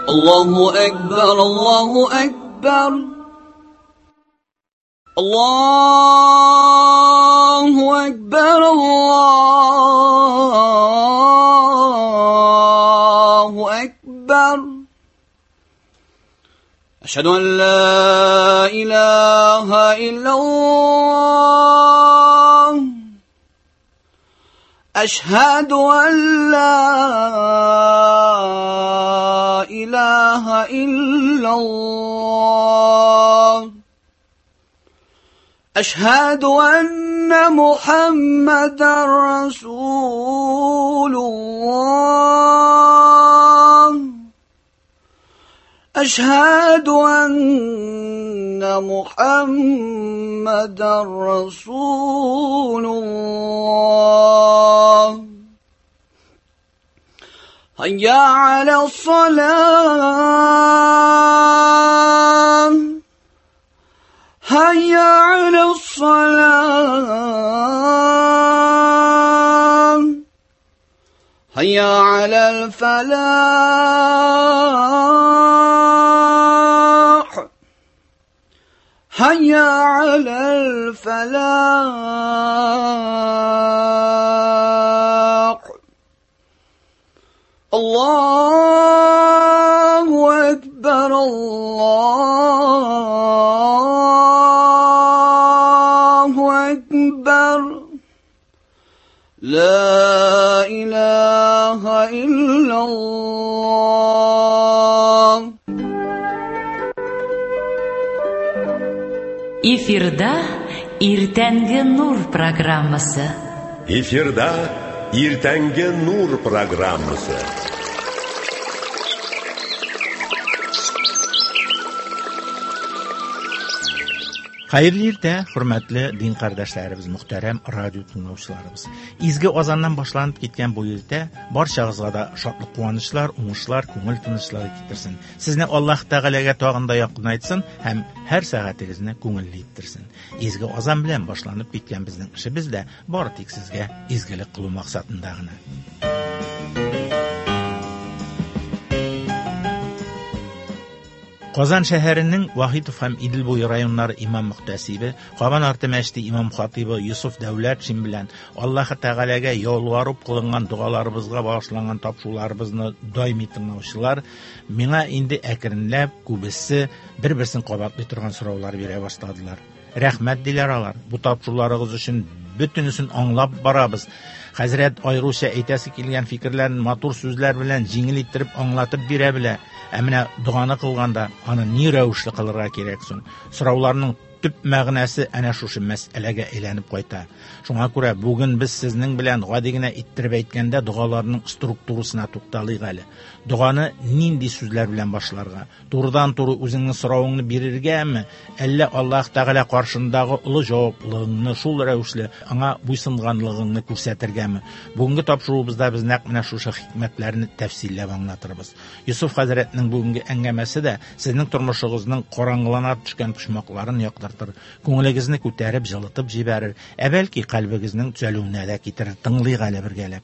الله أكبر الله أكبر الله أكبر الله أكبر أشهد أن لا إله إلا الله أشهد أن لا إله إلا الله أشهد أن محمدا رسول الله أشهد أن محمدا رسول الله هيا على الصلاة هيا على الصلاة هيا على الفلاح هيا على الفلاح الله أكبر الله أكبر لا إله إلا الله. Эфирда Иртәнге нур программасы. Эфирда Иртәнге нур программасы. Хәерле иртә, хөрмәтле дин кардәшләребез, мөхтәрәм радио тыңлаучыларыбыз. Изге азаннан башланып киткән бу иртә барчагызга да шатлык, куанычлар, уңышлар, күңел тынычлыгы китерсен. Сезне Аллаһ Тәгаләгә тагын да якынайтсын һәм һәр сәгатегезне күңелле иттерсен. Изге азан белән башланып киткән безнең эшебез дә бары тик сезгә изгелек кылу максатында гына. Казан шәһәренең Вахитов һәм Идел буе районнары имам мөхтәсибе, Кабан арты мәчете имам хатибы Юсуф Дәүләтшин белән Аллаһ Тәгаләгә ялварып кылынган догаларыбызга багышланган тапшыруларыбызны даими тыңлаучылар миңа инде әкренләп күбесе бер-берсен кабатлый торган сораулар бирә башладылар. Рәхмәт диләр алар. Бу тапшыруларыгыз өчен бөтенесен аңлап барабыз. Хәзрәт аеруча әйтәсе килгән фикерләрен матур сүзләр белән җиңел иттереп аңлатып бирә белә. Ә менә доганы кылганда аны ни рәвешле кылырга кирәк соң? Сорауларның төп мәгънәсе әнә шушы мәсьәләгә әйләнеп кайта. Шуңа күрә бүген без сезнең белән гади генә иттереп әйткәндә догаларның структурасына тукталыйк әле. Доганы нинди сүзләр белән башларга? Турыдан-туры үзеңнең соравыңны бирергәме, әллә Аллаһ Тәгалә каршындагы олы җаваплылыгыңны шул рәвешле аңа буйсынганлыгыңны күрсәтергәме? Бүгенге тапшыруыбызда без нәкъ менә шушы хикмәтләрне тәфсилләп аңлатырбыз. Юсуф хәзрәтнең бүгенге әңгәмәсе дә сезнең тормышыгызның караңгылана төшкән почмакларын яктыртыр, күңелегезне күтәреп, җылытып җибәрер, ә бәлки кальбегезнең төзәлүенә дә китерер. Тыңлыйк әле бергәләп.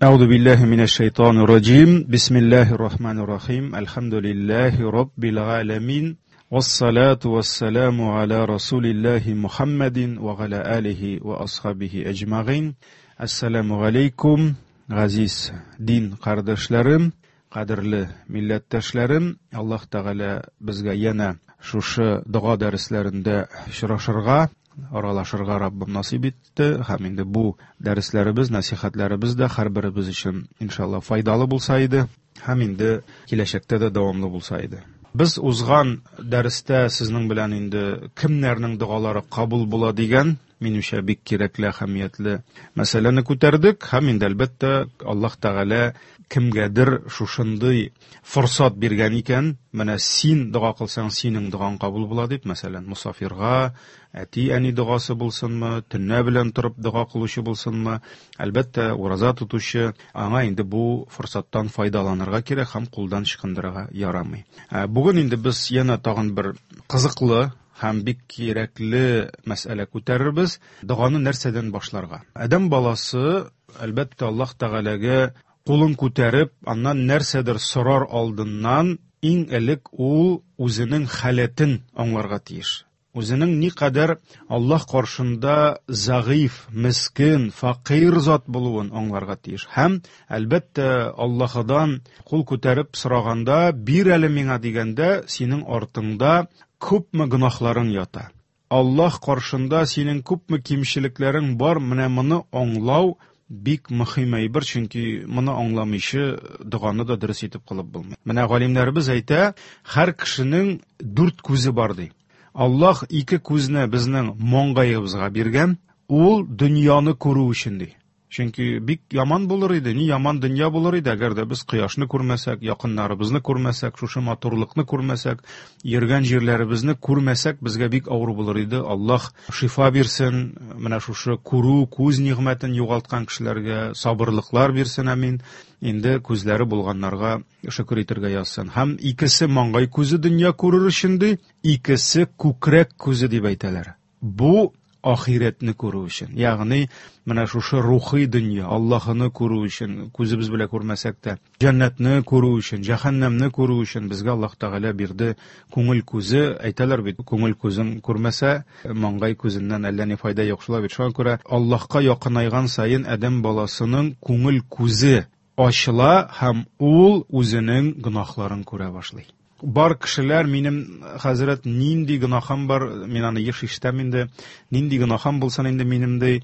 أعوذ بالله من الشيطان الرجيم بسم الله الرحمن الرحيم الحمد لله رب العالمين والصلاة والسلام على رسول الله محمد وعلى آله وأصحابه أجمعين السلام عليكم Газиз дин кардәшләрем, кадерле милләттәшләрем, Аллаһ Тәгалә безгә янә шушы дога дәресләрендә очрашырга, аралашырга Раббым насыйп итте. Һәм инде бу дәресләребез, нәсихәтләребез дә һәрберебез өчен иншалла файдалы булса иде, һәм инде киләчәктә дә дәвамлы булса иде. Без узган дәрестә сезнең белән инде кемнәрнең догалары кабул була дигән, минемчә, бик кирәкле, әһәмиятле мәсьәләне күтәрдек. Һәм инде әлбәттә Аллаһ Тәгалә кемгәдер шушындый форсат биргән икән, менә син дога кылсаң, синең догаң кабул була дип, мәсәлән, мусафирга, әти-әни догасы булсынмы, төнлә белән торып дога кылучы булсынмы, әлбәттә, ураза тотучы, аңа инде бу форсаттан файдаланырга кирәк һәм кулдан ычкындырырга ярамый. Бүген инде без янә тагын бер кызыклы һәм бик кирәкле мәсьәлә күтәрербез. Доганы нәрсәдән башларга? Адәм баласы, әлбәттә, Аллаһ Тәгаләгә кулын күтәреп, аннан нәрсәдер сорар алдыннан иң элек ул үзенең халәтен аңларга тиеш. Үзенең никадәр Аллаһ каршында зәгыйф, мескен, фәкыйрь зат булуын аңларга тиеш. Һәм, әлбәттә, Аллаһыдан кул күтәреп сораганда, бир әле миңа дигәндә, синең артыңда күпме гөнаһларың ята. Аллаһ каршында синең күпме кимчелекләрең бар, менә моны аңлау бик мөһим әйбер, чөнки моны аңламыйча доганы да дөрес итеп кылып булмый. Менә галимнәребез әйтә, һәр кешенең дүрт күзе бар ди. Аллаһ ике күзне безнең маңгаебызга биргән, ул дөньяны күрү өчен ди. Чөнки бик яман булыр иде, ни яман дөнья булыр иде, әгәр дә без кояшны күрмәсәк, якыннарыбызны күрмәсәк, шушы матурлыкны күрмәсәк, йөргән җирләребезне күрмәсәк, безгә бик авыр булыр иде. Аллаһ шифа бирсен, менә шушы күрү, күз нигъмәтен югалткан кешеләргә сабырлыклар бирсен, амин. Инде күзләре булганнарга шөкер итәргә язсын. Һәм икесе маңгай күзе дөнья күрер өчен ди, икесе күкрәк күзе дип әйтәләр. Бу ахирәтне күрү өчен. Ягъни менә шушы рухи дөнья, Аллаһыны күрү өчен, күзебез белән күрмәсәк тә, җәннәтне күрү өчен, җәһәннәмне күрү өчен безгә Аллаһ Тәгалә бирде күңел күзе. Әйтәләр бит, күңел күзең күрмәсә, маңгай күзеннән әллә ни файда юк. Шулай бит. Шуңа күрә Аллаһка якынайган саен адәм баласының күңел күзе ачыла һәм ул үзенең гөнаһларын күрә башлый. Бар кешеләр, минем хәзрәт, нинди гөнаһым бар, мин аны еш ишетәм инде, нинди гөнаһым булсын инде минем ди.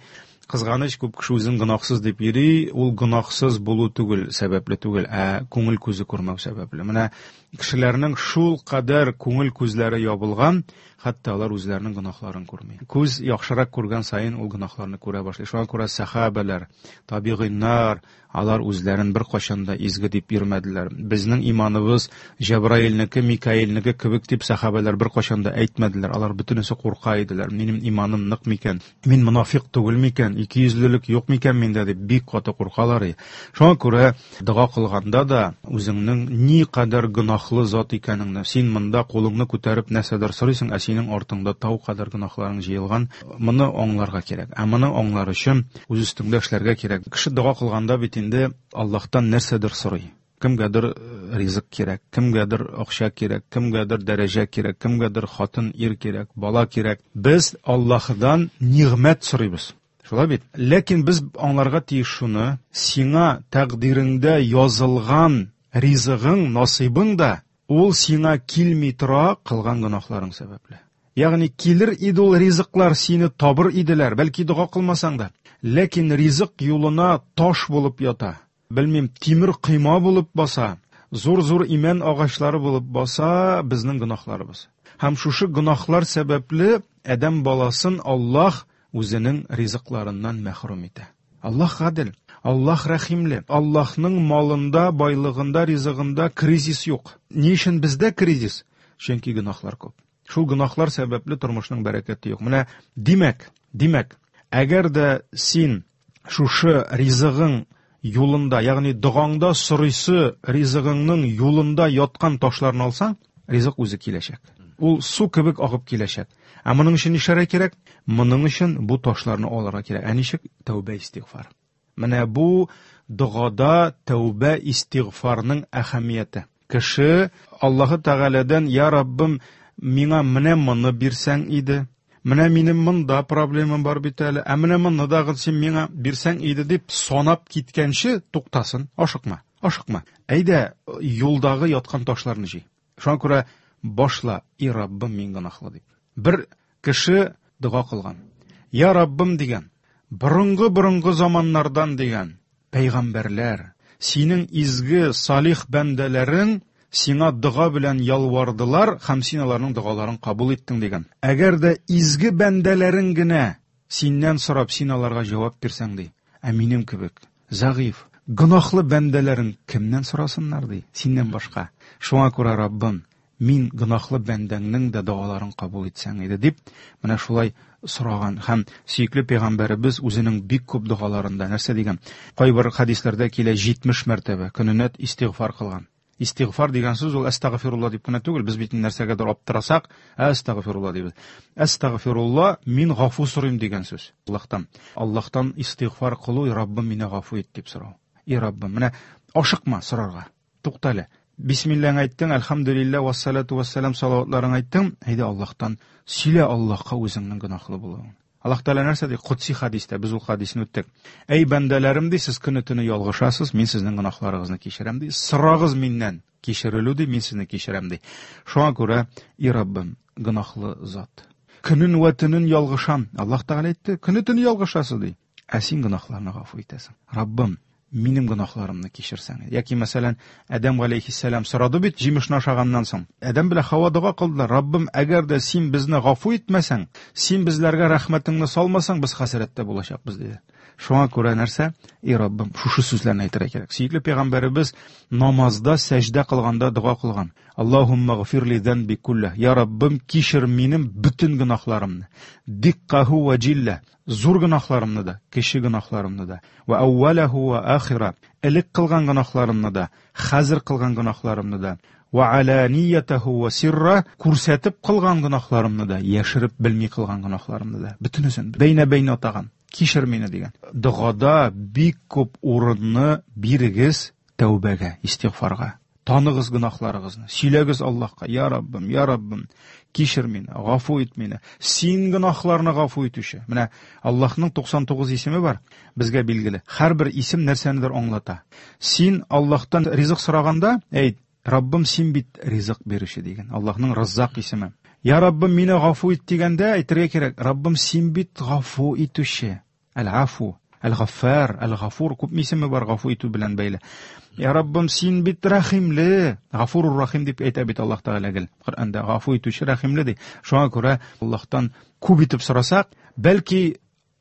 Кызганыч, күп кеше үзен гөнаһсыз дип йөри, ул гөнаһсыз булу түгел, сәбәпле түгел, ә күңел күзе күрмәү сәбәпле. Менә кешеләрнең шул кадәр күңел күзләре ябылган, хәтта алар үзләренең гөнаһларын күрми. Күз яхшырак күргән саен ул гөнаһларны күрә башлый. Шуңа күрә сәхабәләр, табигыйннар, алар үзләрен беркайчан да изге дип йөрмәделәр. Безнең иманыбыз Җәбраилнеке, Микаилнеке кебек дип сәхабәләр беркайчан да әйтмәделәр. Алар бөтенесе курка иделәр. Минем иманым нык микән? Мин монафикъ түгел микән? Икейөзлелек юк микән миндә дип бик каты куркалар. Шуңа күрә дога кылганда да үзеңнең никадәр гөнаһлы зат икәнеңне, син монда кулыңны күтәреп нәрсәдер сорыйсың, ә синең артыңда тау кадәр гөнаһларың җыелган, моны аңларга кирәк. Ә моны аңлар өчен үз өстеңдә эшләргә кирәк. Кеше дога кылганда бит инде Аллаһтан нәрсәдер сорый. Кемгәдер ризык кирәк, кемгәдер акча кирәк, кемгәдер дәрәҗә кирәк, кемгәдер хатын, ир кирәк, бала кирәк. Без Аллаһыдан нигъмәт сорыйбыз. Шулай бит? Ләкин без аңларга тиеш шуны, сиңа тәкъдиреңдә язылган ризыгың, насыйбың да ул сиңа килми тора кылган гөнаһларың сәбәпле. Ягъни килер иде ул ризыклар, сине табыр иделәр, бәлки дога кылмасаң да. Ләкин ризык юлына таш булып ята. Белмим, тимер койма булып баса, зур-зур имән агачлары булып баса безнең гөнаһларыбыз. Һәм шушы гөнаһлар сәбәпле адәм баласын Аллаһ үзенең ризыкларыннан мәхрүм итә. Аллаһ гадел, Аллаһ рәхимле. Аллаһның малында, байлыгында, ризыгында кризис юк. Ни өчен бездә кризис? Чөнки гөнаһлар күп. Шул гөнаһлар сәбәпле тормышның бәрәкәте юк. Менә димәк, димәк, әгәр дә син шушы ризыгың юлында, ягъни догаңда сорыйсы ризыгыңның юлында яткан ташларны алсаң, ризык үзе киләчәк. Ул су кебек агып киләчәк. Ә моның өчен нишләргә кирәк? Моның өчен бу ташларны алырга кирәк. Ә ничек? Тәүбә, истигъфар. Менә бу догада тәүбә, истигъфарның әһәмияте. Кеше Аллаһы Тәгаләдән: "Я Раббым, миңа менә моны бирсәң иде, менә минем монда проблемам бар бит әле, ә менә моны да син миңа бирсәң иде" дип санап киткәнче туктасын, ашыкма, ашыкма. Әйдә, юлдагы яткан ташларны җый. Шуңа күрә башла: "И Раббым, мин гөнаһлы" дип. Бер кеше дога кылган. "Я Раббым" дигән, борынгы-борынгы заманнардан дигән, пәйгамбәрләр, синең изге салих бәндәләрең сиңа дога белән ялвардылар һәм син аларның догаларын кабул иттең дигән. Әгәр дә изге бәндәләрең генә синнән сорап, син аларга җавап бирсәң ди, ә минем кебек зәгыйф, гөнаһлы бәндәләрең кемнән сорасыннар ди, синнән башка. Шуңа күрә Раббым, мин гөнаһлы бәндәңнең дә догаларын кабул итсәң иде дип, менә шулай сораган. Һәм сөекле пәйгамбәребез үзенең бик күп догаларында нәрсә дигән? Кайбер хәдисләрдә килә 70 мәртәбә көненә истигъфар кылган. Истигъфар дигән сүз ул әстәгъфирулла дип кенә түгел, без бит нәрсәгәдер аптырасак, әстәгъфирулла дибез. Әстәгъфирулла, мин гафу сорыйм дигән сүз. Аллаһтан. Аллаһтан истигъфар кылу, Раббым мине гафу ит дип сорау. И Раббым, менә ашыкма сорарга. Туктале. Бисмиллаң әйттең, әлхәмдүлилләһ, вассалату вассалам салаватларың әйттең. Әйдә Аллаһтан сөйлә Аллаһка үзеңнең гөнаһлы булуың. Аллаһ Тәгалә нәрсә ди? Кудси хадистә, без ул хадисне үттек. Әй бәндәләрем ди, сез көне төне ялгышасыз, мин сезнең гөнаһларыгызны кичерәм ди. Сорагыз миннән, кичерелү ди, мин сезне кичерәм ди. Шуңа күрә, и Раббым, гөнаһлы зат. Көнен вә төнен ялгышам. Аллаһ Тәгалә әйтте, көне төне ялгышасыз ди. Ә син гөнаһларны гафу итәсең. Раббым, минем гөнаһларымны кичерсәң. Яки, мәсәлән, Адәм галәйһиссәлам сорады бит җимешне ашаганнан соң. Адәм белән Хава дога кылдылар. Раббым, әгәр дә син безне гафу итмәсәң, син безләргә рәхмәтеңне салмасаң, без хәсрәттә булачакбыз, диде. Шуңа күрә нәрсә? И Раббым, шушы сүзләрне әйтергә кирәк. Сөекле пәйгамбәребез намазда сәҗдә кылганда дога кылган. Аллаһумма гфир ли занби куллах. Я Раббым, кичер минем бөтен гөнаһларымны. Диккаху ва җилла. Зур гөнаһларымны да, кече гөнаһларымны да. Ва әүвәләһу ва ахира. Элек кылган гөнаһларымны да, хәзер кылган гөнаһларымны да. Ва аланиятаху ва сирра. Күрсәтеп кылган гөнаһларымны да, яшереп белми кылган гөнаһларымны да. Бөтенесен бәйнә-бәйнә атаган. Кичер мине дигән. Догада бик күп урынны бирегез тәүбәгә, истигъфарга. Таныгыз гөнаһларыгызны, сөйләгез Аллаһка, я Раббым, я Раббым, кичер мине, гафу ит мине. Син гөнаһларны гафу итүче. Менә Аллаһның 99 исеме бар, безгә билгеле. Һәрбер исем нәрсәнедер аңлата. Син Аллаһтан ризык сораганда, әйт, Раббым, син бит ризык бирүче дигән. Аллаһның Раззак исеме. Я Раббым, мине гафу ит дигәндә әйтергә кирәк, Раббым, син бит гафу итүче. Әл-Афу, Әл-Гаффар, Әл-Гафур күп исеме бар гафу итү белән бәйле. Я Раббым, син бит рәхимле. Гафурур Рахим дип әйтә бит Аллаһ Тәгалә гел Коръәндә. Гафу итүче рәхимле ди. Шуңа күрә Аллаһтан күп итеп сорасак, бәлки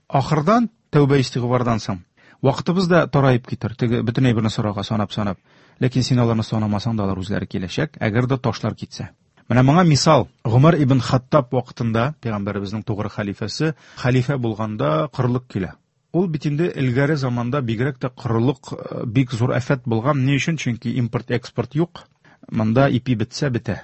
ахырдан тәүбә истигъфардан соң вакытыбыз да тараеп китер. Теге бөтен әйберне сорарга санап-санап. Ләкин син аларны санамасаң да алар үзләре киләчәк, әгәр дә ташлар китсә. Менә моңа мисал, Гомар ибн Хаттаб вакытында, пәйгамбәребезнең тугры хәлифәсе, хәлифә булганда корылык килә. Ул бит инде элгәре заманда бигрәк тә корылык бик зур афәт булган. Ни өчен? Чөнки импорт-экспорт юк. Монда ипи бетсә бетә.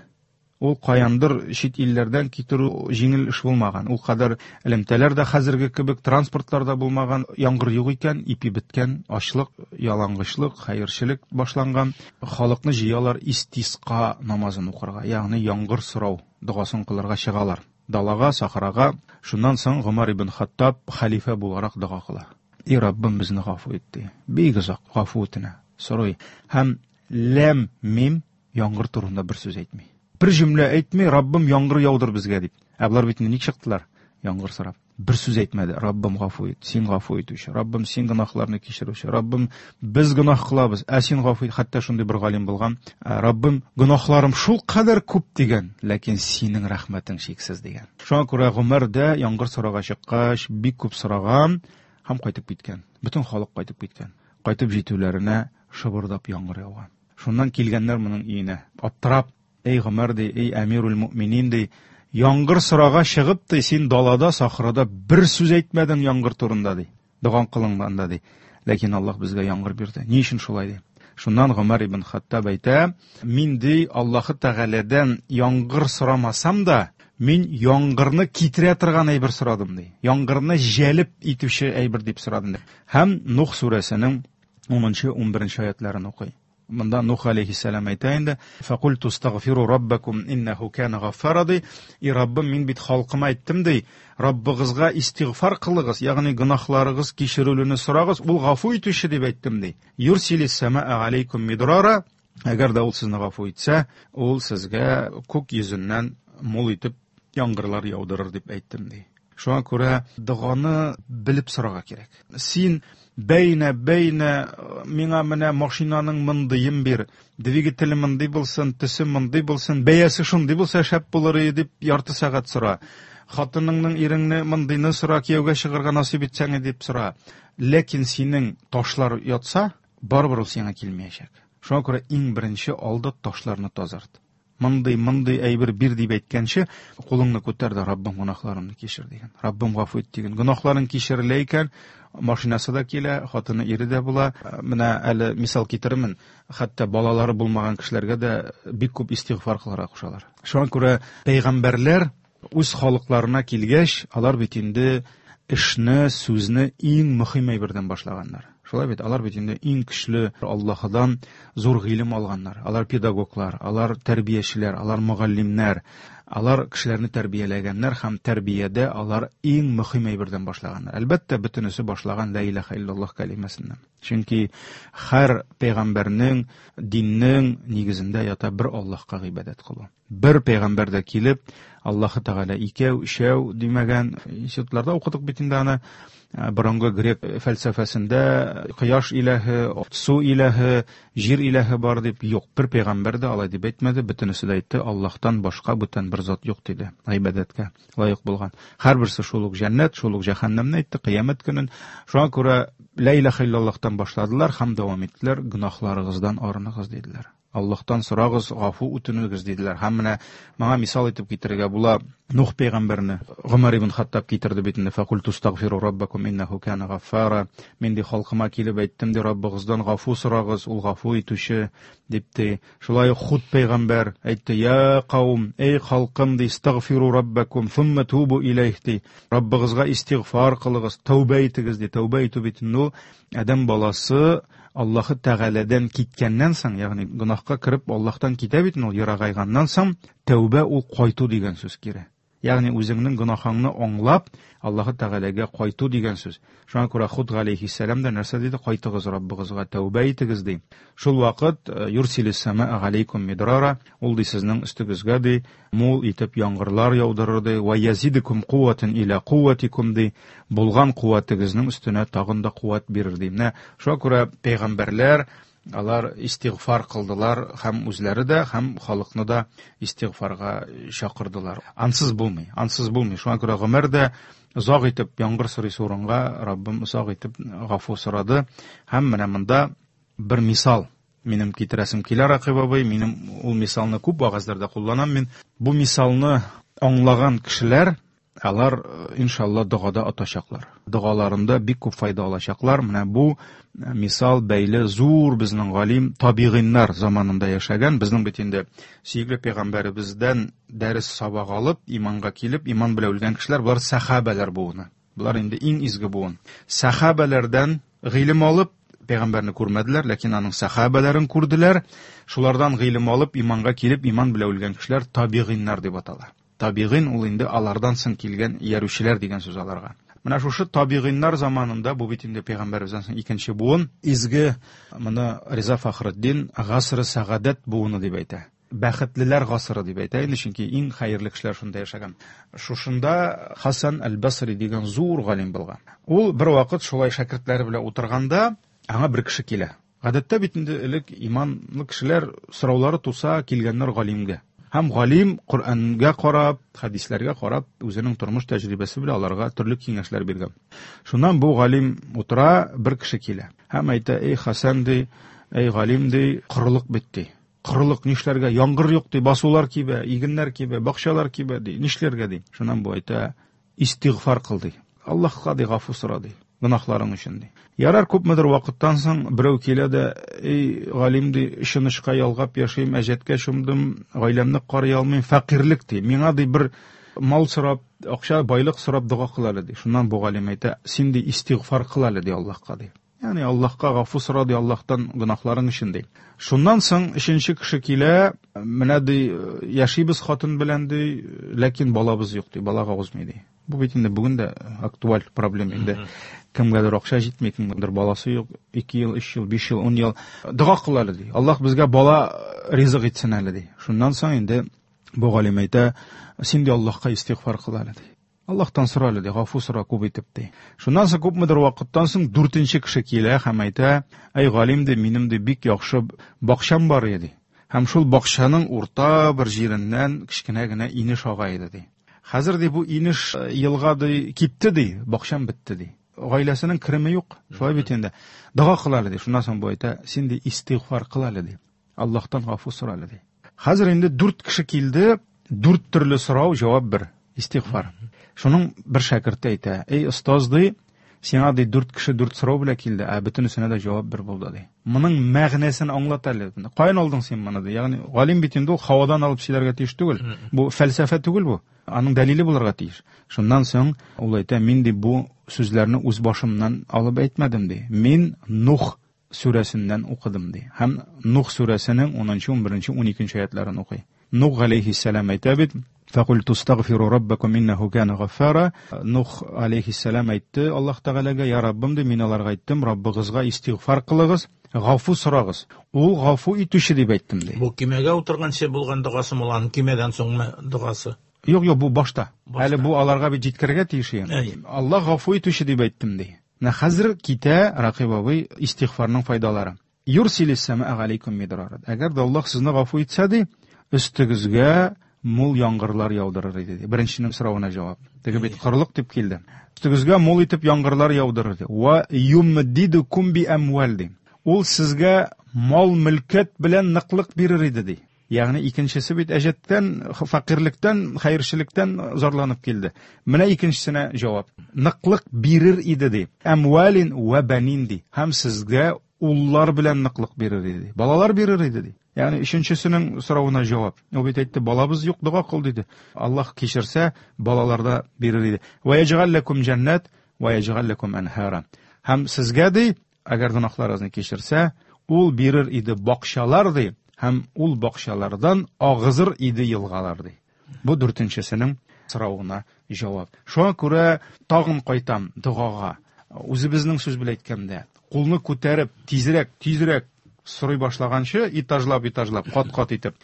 Ул каяндыр чит илләрдән китерү җиңел эш булмаган. Ул кадәр элемтәләр дә хәзерге кебек, транспортлар да булмаган. Яңгыр юк икән, ипи беткән, ачлык, ялангычлык, хәерчелек башланган. Халыкны җыялар истиска намазын укырга, ягъни яңгыр сорау догасын кылырга чыгалар. Далага, сахрага. Шуннан соң Гомар ибн Хаттаб хәлифә буларак дога кыла. И Раббым, безне гафу ит, ди. Бик озак гафу үтенә, сорый. Һәм ләм мим яңгыр турында бер сүз әйтми. Бер җөмлә әйтми, Раббым яңгыр яудыр безгә дип. Ә болар бит ник чыктылар? Яңгыр сорап. Бер сүз әйтмәде. Раббым гафу ит, син гафу итүче. Раббым син гөнаһларны кичерүче. Раббым без гөнаһ кылабыз, ә син гафу ит. Хәтта шундый бер галим булган. Раббым гөнаһларым шул кадәр күп дигән, ләкин синең рәхмәтең чиксез дигән. Шуңа күрә Гомәр дә яңгыр сорага чыккач, бик күп сораган һәм кайтып киткән. Бөтен халык кайтып киткән. Кайтып җитүләренә шыбырдап яңгыр яуган. Шуннан килгәннәр моның өенә. Аптырап, эй Гомәр ди, эй әмирул мөминин ди, яңгыр сорага чыгып ди, син далада, сахрада бер сүз әйтмәдең яңгыр турында ди. Доган кылынганда ди. Ләкин Аллаһ безгә яңгыр бирде. Ни өчен шулай ди? Шуннан Гомәр ибн Хаттаб әйтә, мин ди Аллаһы Тәгаләдән яңгыр сорамасам да, мин яңгырны китерә торган әйбер сорадым ди. Яңгырны җәлеп итүче әйбер дип сорадым ди. Һәм Нух сүрәсенең 10-11 аятларын укый. Монда Нух алейхиссалам әйтә инде, «Факульту астагфиру раббакум иннаху кана гаффара» ди. И Раббым, мин бит халкыма әйттем ди, Раббыгызга истигъфар кылыгыз, ягъни гөнаһларыгыз кичерелүне сорагыз, ул гафу итүче дип әйттем ди. Юрсилис самаа алейкум мидрара, әгәр дә ул сезне гафу итсә, ул сезгә күк йөзеннән мул итеп яңгырлар яудырыр дип әйттем ди. Шуңа күрә доганы белеп сорарга кирәк. Син бәйнә, бәйнә, миңа менә машинаның мондыен бир, двигателе мондый булсын, төсе мондый булсын, бәясе шундый булса шәп булыр иде дип ярты сәгать сора. Хатыныңның иреңне мондыйны сора, кияүгә чыгарга насыйп итсәң дип сора. Ләкин синең ташлар ятса, барыбер ул сиңа килмәячәк. Шуңа күрә иң беренче алда ташларны тазарт. Мондый, мондый әйбер бир дип әйткәнче, кулыңны күтәр дә, Раббым гөнаһларымны кичер дигән. Раббым гафу ит дигән. Гөнаһларың кичерелә икән, машинасы да килә, хатыны ире дә була. Менә әле мисал китерермен, хәтта балалары булмаган кешеләргә дә бик күп истигъфар кылырга кушалар. Шуңа күрә пәйгамбәрләр үз халыкларына килгәч, алар бит инде эшне, сүзне иң мөһим әйбердән башлаганнар. Шулай бит, алар бит инде иң көчле Аллаһыдан зур гыйлем алганнар. Алар педагоглар, алар тәрбиячеләр, алар мөгаллимнәр. Алар кешеләрне тәрбияләгәннәр һәм тәрбиядә алар иң мөһим әйбердән башлаганнар. Әлбәттә, бөтенесе башлаган ла илаһа иллаллаһ кәлимәсеннән. Чөнки һәр пәйгамбәрнең, диннең нигезендә ята бер Аллаһка гыйбадәт кылу. Бер пәйгамбәр дә килеп, Аллаһы Тәгалә икәү, өчәү димәгән. Институтларда укыдык бит инде аны. Борынгы грек фәлсәфәсендә кояш иләһе, су иләһе, җир иләһе бар дип юк. Бер пәйгамбәр дә алай дип әйтмәде, бөтенесе дә әйтте, Аллаһтан башка бүтән бер зат юк диде. Гыйбадәткә лаек булган. Һәрберсе шул ук җәннәт, шул ук җәһәннәмне әйтте, кыямәт көнен. Шуңа күрә ла илаһа иллаллаһтан башладылар һәм дәвам иттеләр, гөнаһларыгыздан арыныгыз диделәр. Аллаһтан сорагыз, гафу үтенегез диделәр. Һәм менә моңа мисал итеп китерергә була Нух пәйгамбәрне. Гомәр ибн Хаттаб китерде бит инде, факул тустагфиру раббакум иннаху кана гаффара. Мин ди халкыма килеп әйттем ди, Раббыгыздан гафу сорагыз, ул гафу итүче дип ди. Шулай ук Худ пәйгамбәр әйтте, я каум, эй халкым ди, истагфиру раббакум сумма тубу иләйх ди. Раббыгызга истигъфар кылыгыз, тәүбә итегез ди. Тәүбә итү бит инде ул адәм баласы Аллаһы Тәгаләдән киткәннән соң, ягъни гөнаһка кереп Аллаһтан китә бит ул, ерагайганнан соң, тәүбә ул кайту дигән сүз кире. Ягъни үзеңнең гөнаһыңны аңлап, Аллаһы Тәгаләгә кайту дигән сүз. Шуңа күрә Худ галәйһиссәлам да нәрсә диде? Кайтыгыз Раббыгызга, тәүбә итегез ди. Шул вакыт юрсилис самаа галәйкум мидрара, ул ди сезнең өстегезгә ди, мул итеп яңгырлар яудырыр ди, ва язидукум куатен иля куатикум ди, булган куәтегезнең өстенә тагын да куәт бирер ди. Менә шуңа күрә пәйгамбәрләр алар истигъфар кылдылар һәм үзләре дә, һәм халыкны да истигъфарга чакырдылар. Ансыз булмый, ансыз булмый. Шуңа күрә Гомәр дә озак итеп яңгыр сорыйсы урынга Раббым озак итеп гафу сорады. Һәм менә монда бер мисал минем китерәсем килә, Ракыйп абый, минем ул мисалны күп вәгазьләрдә кулланам мин. Бу мисалны аңлаган кешеләр, алар иншалла догада отачаклар. Догаларында бик күп файда алачаклар. Менә бу мисал бәйле зур безнең галим табигыйннар заманында яшәгән, безнең бит инде сөекле пәйгамбәребездән дәрес сабак алып, иманга килеп, иман белән үлгән кешеләр, болар сахабәләр буыны. Болар инде иң изге буын. Сахабәләрдән гыйлем алып, пәйгамбәрне күрмәделәр, ләкин аның сахабәләрен күрделәр. Шулардан гыйлем алып, иманга килеп, иман белән үлгән кешеләр табигыйннар дип атала. Табигыйн ул инде алардан соң килгән иярүчеләр дигән сүз аларга. Менә шушы табигыйннар заманында, бу бит инде пәйгамбәребездән соң икенче буын, изге моны Риза Фахретдин гасры сәгадәт буыны дип әйтә. Бәхетлеләр гасыры дип әйтә инде, чөнки иң хәерле кешеләр шунда яшәгән. Шушында Хасан әл-Басри дигән зур галим булган. Ул бер вакыт шулай шәкертләре белән утырганда, аңа бер кеше килә. Гадәттә бит инде элек иманлы кешеләр сораулары туса килгәннәр галимгә. Һәм галим Коръәнгә карап, хәдисләргә карап, үзенең тормыш тәҗрибәсе белән аларга төрле киңәшләр биргән. Шуннан бу галим утыра, бер кеше килә. Һәм әйтә: "Эй Хасан ди, эй галим ди, корылык бит ди. Корылык нишләргә? Яңгыр юк ди, басулар кибә, игеннәр кибә, бакчалар кибә ди. Нишләргә ди?" Шуннан бу әйтә: "Истигъфар кыл ди. Аллаһка ди гафу сора ди, гөнаһларың өчен ди." Ярар, күпмедер вакыттан соң берәү килә дә, эй галим ди, өчен очка ялгап яшим, әҗәткә чумдым, гаиләмне карый алмыйм, фәкыйрьлек ди. Миңа ди бер мал сорап, акча, байлык сорап дога кыл әле ди. Шуннан бу галим әйтә: "Син ди истигъфар кыл әле ди Аллаһка ди. Ягъни Аллаһка гафу сора ди, Аллаһтан гөнаһларың өчен ди. Шуннан соң өченче кеше килә, менә ди, яшибез хатын белән ди, ләкин балабыз юк ди, балага узмый ди. Бу бит инде бүген дә актуаль проблема инде. Кемгәдер акча җитми, кемгәдер баласы юк, 2 ел, 3 ел, 5 ел, 10 ел. Дога кыл әле ди. Аллаһ безгә бала ризык итсен әле ди. Шуннан соң инде бу галим әйтә, син ди Аллаһка истигъфар кыл әле ди. Аллаһтан сора әле ди, гафу сора күп итеп ди. Шуннан соң күпмедер вакыттан соң дүртенче кеше килә һәм әйтә, әй галим ди, минем ди бик яхшы бакчам бар иде ди. Һәм шул бакчаның урта бер җиреннән кечкенә генә инеш ага иде ди. Хәзер ди бу инеш елга ди кипте ди, бакчам бетте ди. Гаиләсенең кереме юк, шулай бит инде. Дога кыл әле ди. Шуннан соң бу әйтә, син ди истигъфар кыл әле ди. Аллаһтан гафу сора әле ди. Хәзер инде дүрт кеше килде, дүрт төрле сорау, җавап бер. Истигъфар. Шуның бер шәкерте әйтә: "Эй остаз ди, Сиңа ди дүрт кеше дүрт сорау белән килде, ә бөтенесенә дә җавап бер булды ди. Моның мәгънәсен аңлат әле. Каян алдың син моны ди? Ягъни галим бит инде ул һавадан алып сөйләргә тиеш түгел. Бу фәлсәфә түгел бу. Аның дәлиле булырга тиеш. Шуннан соң ул әйтә, мин ди бу сүзләрне үз башымнан алып әйтмәдем ди. Мин Нух сүрәсеннән укыдым ди. Һәм Нух сүрәсенең 10, 11, 12 аятларын укый. Нух галәйһиссәлам әйтә бит, Фәкульту астагфиру раббакум иннәһу кана гаффара. Нух алейхиссәлам әйтте Аллаһ Тәгаләгә, я Раббым ди, мин аларга әйттем, Раббыгызга истигъфар кылыгыз, гафу сорагыз. Ул гафу итүче дип әйттем ди. Бу кимәгә утырганчы булган догасы ул, аның кимәдән соңмы догасы? Юк, юк, бу башта. Әле бу аларга бит җиткерергә тиеш иде. Аллаһ гафу итүче дип әйттем ди. Менә хәзер китә Ракыйп абый истигъфарның файдалары. Юрсилис сәмаа галәйкүм мидрара. Әгәр дә Аллаһ сезне гафу итсә ди, өстегезгә мул яңгырлар яудырыр иде ди. Беренченең соравына җавап. Теге бит корылык дип килде. Өстегезгә мул итеп яңгырлар яудырыр ди. Ва юмдидукум би әмвал ди. Ул сезгә мал-мөлкәт белән ныклык бирер иде ди. Ягъни икенчесе бит әҗәттән, фәкыйрьлектән, хәерчелектән зарланып килде. Менә икенчесенә җавап. Ныклык бирер иде ди. Әмвалин ва банин ди. Һәм сезгә уллар белән ныклык бирер иде ди. Балалар бирер иде ди. Ягъни өченчесенең соравына җавап. Ул бит әйтте, балабыз юк, дога кыл диде. Аллаһ кичерсә, балалар да бирер иде. Ва яҗгаль ләкум җәннәт, ва яҗгаль ләкум әнһара. Һәм сезгә ди, әгәр гөнаһларыгызны кичерсә, ул бирер иде бакчалар ди, һәм ул бакчалардан агызыр иде елгалар ди. Бу дүртенчесенең соравына җавап. Шуңа күрә тагын кайтам догага. Үзебезнең сүз белән әйткәндә, кулны күтәреп, тизрәк, тизрәк сорый башлаганчы, этажлап, этажлап, кат-кат итеп,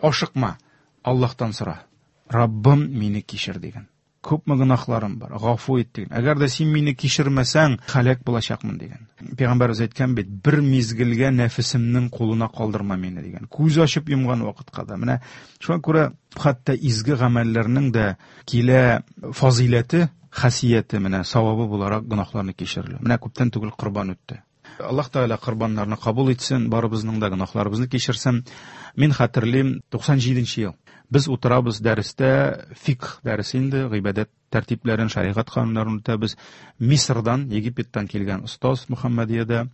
ашыкма, Аллаһтан сора. Раббым, мине кичер диген. Күпме гөнаһларым бар, гафу ит диген. Әгәр дә син мине кичермәсәң, һәлак булачакмын диген. Пәйгамбәребез әйткән бит, бер мизгелгә нәфесемнең кулына калдырма мине дигән. Күз ачып йомган вакытка да. Менә шуңа күрә хәтта изге гамәлләрнең дә килә фазыйләте, хасияте, менә савабы буларак гөнаһларны кичерелү. Менә күптән түгел корбан үтте. Аллаһ Тәгалә корбаннарны кабул итсен, барыбызның да гөнаһларыбызны кичерсен. Мин хәтерлим, 97 ел. Без утырабыз дәрестә, фикх дәресе инде, гыйбадәт тәртипләрен, шәригать кануннарын үтәбез. Мисырдан, Египеттан килгән остаз Мөхәммәдиядә,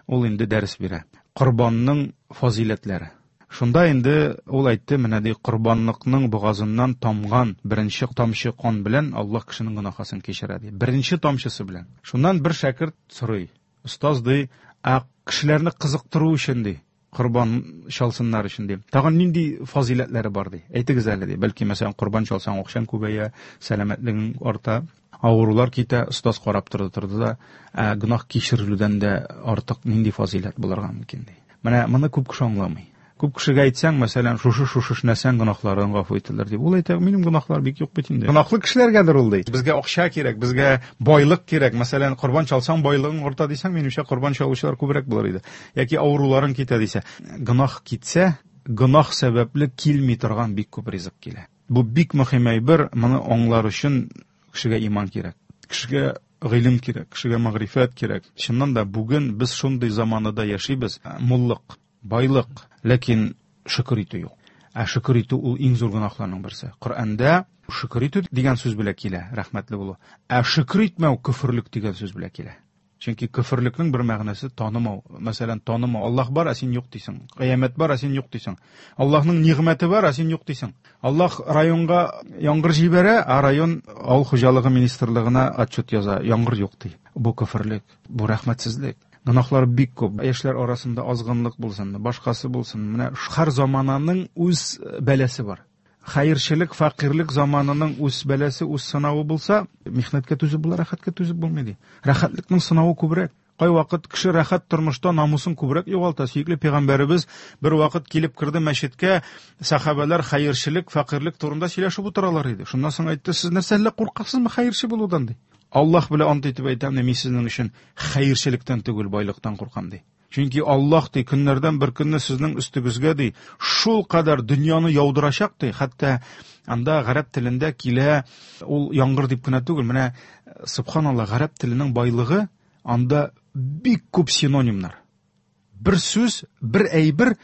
ул инде дәрес бирә. Корбанның фазыйләтләре. Шунда инде ул әйтте, менә ди, корбанлыкның бугазыннан тамган беренче тамчы кан белән Аллаһ кешенең гөнаһасын кичерә ди. Беренче тамчысы белән. Шуннан бер шәкерт сорый. Остаз ди, ә кешеләрне кызыктыру өчен ди, корбан чалсыннар өчен ди. Тагын нинди фазыйләтләре бар ди? Әйтегез әле ди. Бәлки, мәсәлән, корбан чалсаң, акчаң күбәя, сәламәтлегең арта, авырулар китә. Остаз карап торды, торды да, ә гөнаһ кичерелүдән дә артык нинди фазыйләт булырга мөмкин ди. Менә моны күп кеше аңламый. Күп кешегә әйтсәң, мәсәлән, шушы шушы эшләсәң гөнаһларың гафу ителер дип. Ул әйтә, минем гөнаһлар бик юк бит инде. Гөнаһлы кешеләргәдер ул ди. Безгә акча кирәк, безгә байлык кирәк. Мәсәлән, корбан чалсаң байлыгың арта дисәң, минемчә корбан чалучылар күбрәк булыр иде. Яки авыруларың китә дисә. Гөнаһ китсә, гөнаһ сәбәпле килми торган бик күп ризык килә. Бу бик мөһим әйбер, моны аңлар өчен кешегә иман кирәк. Кешегә гыйлем кирәк, кешегә мәгърифәт кирәк. Чыннан да бүген без шундый заманада яшибез, муллык, байлык, ләкин шөкер итү юк. Ә шөкер итү ул иң зур гөнаһларның берсе. Коръәндә шөкер итү дигән сүз белән килә, рәхмәтле булу. Ә шөкер итмәү көферлек дигән сүз белән килә. Чөнки көферлекнең бер мәгънәсе танымау. Мәсәлән, танымау. Аллаһ бар, ә син юк дисең. Кыямәт бар, ә син юк дисең. Аллаһның нигъмәте бар, ә син юк дисең. Аллаһ районга яңгыр җибәрә, ә район авыл хуҗалыгы министрлыгына отчет яза, яңгыр юк ди. Бу көферлек, бу рәхмәтсезлек. Гөнаһлар бик күп. Яшьләр арасында азгынлык булсын, башкасы булсын. Менә һәр замананың үз бәласе бар. Хәерчелек, фәкыйрьлек заманының үз бәласе, үз сынавы булса, михнәткә түзеп була, рәхәткә түзеп булмый ди. Рәхәтлекнең сынавы күбрәк. Кайвакыт кеше рәхәт тормышта намусын күбрәк югалта. Сөекле пәйгамбәребез бер вакыт килеп керде мәчеткә, сәхабәләр хәерчелек, фәкыйрьлек турында сөйләшеп утыралар иде. Шуннан соң әйтте, сез нәрсә әллә куркасызмы хәерче булудан ди. Аллаһ белән ант итеп әйтәм, мин сезнең өчен хәерчелектән түгел, байлыктан куркам ди. Чөнки Аллаһ ди, көннәрдән бер көнне сезнең өстегезгә ди, шул кадәр дөньяны яудырачак ди, хәтта анда гарәп телендә килә ул яңгыр дип кенә түгел, менә субханаллаһ, гарәп теленең байлыгы анда бик күп синонимнар. Бер сүз, бер әйбер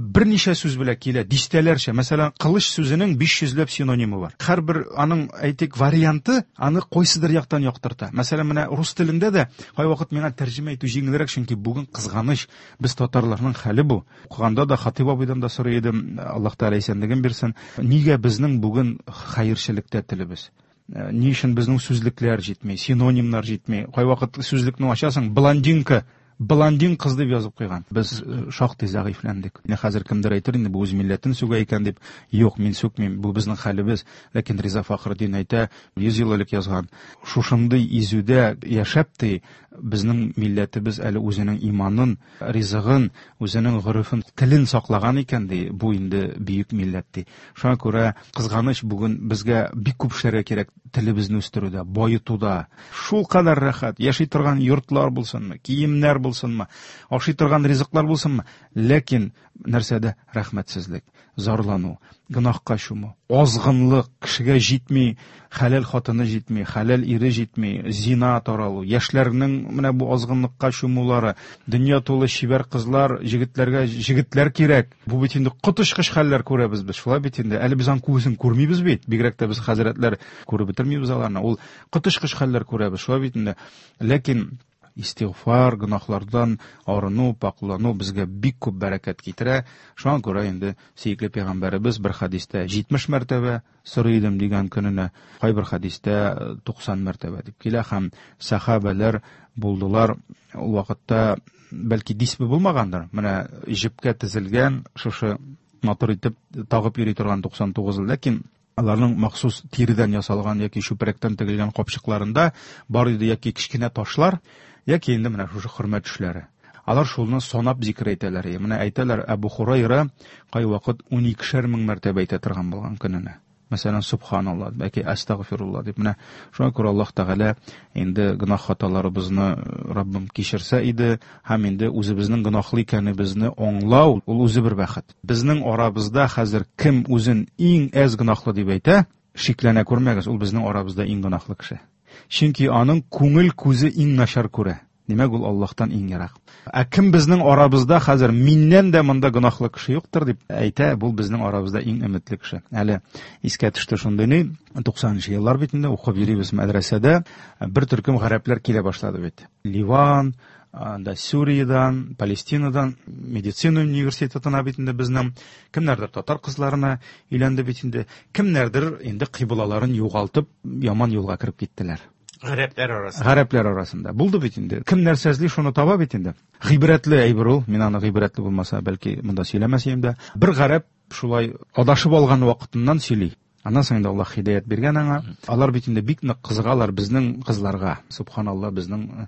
Берничә сүз белән килә, дистәләрчә. Мәсәлән, кылыч сүзенең 500 ләп синонимы бар. Һәрбер аның, әйтик, варианты аны кайсыдыр яктан яктырта. Мәсәлән, менә рус телендә дә кайвакыт миңа тәрҗемә итү җиңелрәк, чөнки бүген кызганыч, без татарларның хәле бу. Укыганда да Хатыйп абыйдан да сорый идем, Аллаһ Тәгалә исәнлеген бирсен. Нигә безнең бүген хәерчелектә телебез? Ни өчен безнең сүзлекләр җитми, синонимнар җитми? Кайвакыт сүзлекне ачасың, блондинка, блондин кыз дип язып куйган. Без шактый зәгыйфьләндек. Менә хәзер кемдер әйтер инде, бу үз милләтен сүгә икән дип. Юк, мин сүкмим, бу безнең хәлебез. Ләкин Риза Фахретдин әйтә, 100 ел элек язган, шушындый изүдә яшәп ди, безнең милләтебез әле үзенең иманын, ризыгын, үзенең горефен, телен саклаган икән ди, бу инде бөек милләт ди. Шуңа күрә кызганыч, бүген безгә бик күп эшләргә кирәк телебезне үстерүдә, баетуда. Шулкадәр рәхәт, яши торган йортлар булсынмы, киемнәр булсынмы, ашый торган ризыклар булсынмы, ләкин нәрсәдә рәхмәтсезлек, зарлану, гөнаһка чуму, азгынлык, кешегә җитми, хәләл хатыны җитми, хәләл ире җитми, зина таралу, яшьләрнең менә бу азгынлыкка чумулары, дөнья тулы чибәр кызлар, җегетләргә җегетләр кирәк. Бу бит инде коточкыч хәлләр күрәбез без, шулай бит инде. Әле без аның күбесен күрмибез бит, бигрәк тә без хәзрәтләр күреп бетермибез аларны. Ул коточкыч хәлләр күрәбез, шулай бит инде. Ләкин истигъфар, гөнаһлардан арыну, пакълану безгә бик күп бәрәкәт китерә. Шуңа күрә инде сөекле пәйгамбәребез бер хәдистә 70 мәртәбә сорый идем дигән көненә, кайбер хәдистә 90 мәртәбә дип килә һәм сәхабәләр булдылар ул вакытта, бәлки дисбе булмагандыр. Менә җепкә тезелгән шушы матур итеп тагып йөри торган 99, ләкин аларның махсус тиредән ясалган яки чүпрәктән тегелгән капчыкларында бар иде яки кечкенә ташлар, яки инде менә шушы хөрмә төшләре. Алар шулны санап зикер әйтәләр. Менә әйтәләр, Әбу Хурайра кайвакыт уникешәр мең мәртәбә әйтә торган булган көненә. Мәсәлән, субханалла, яки астагфирулла дип. Менә шуңа күрә Аллаһ Тәгалә инде гөнаһ хаталарыбызны Раббым кичерсә иде һәм инде үзебезнең гөнаһлы икәнебезне аңлау, ул үзе бер бәхет. Безнең арабызда хәзер кем үзен иң әз гөнаһлы дип әйтә, шикләнә күрмәгез, ул безнең арабызда иң гөнаһлы кеше. Чөнки аның күңел күзе иң начар күрә. Димәк, ул Аллаһтан иң ерак. Ә кем безнең арабызда хәзер миннән дә монда гөнаһлы кеше юктыр дип әйтә, бу безнең арабызда иң өметле кеше. Әле искә төште шундый ни, 90нчы еллар бит инде, укып йөрибез мәдрәсәдә, бер төркем гарәпләр килә башлады бит. Ливан, анда Сүриядән, Палестинадан, медицина университетына бит инде безнең кемнәрдер татар кызларына өйләнде бит инде, кемнәрдер инде кыйблаларын югалтып, яман юлга кереп киттеләр. Гарәпләр арасында. Гарәпләр арасында. Булды бит инде. Кем нәрсә эзли, шуны таба бит инде. Гыйбрәтле әйбер ул. Мин аны гыйбрәтле булмаса, бәлки монда сөйләмәс идем дә. Бер гарәп шулай адашып алган вакытыннан сөйли. Аннан соң инде Аллаһ һидәят биргән аңа. Алар бит инде бик нык кызыгалар безнең кызларга. Субханалла, безнең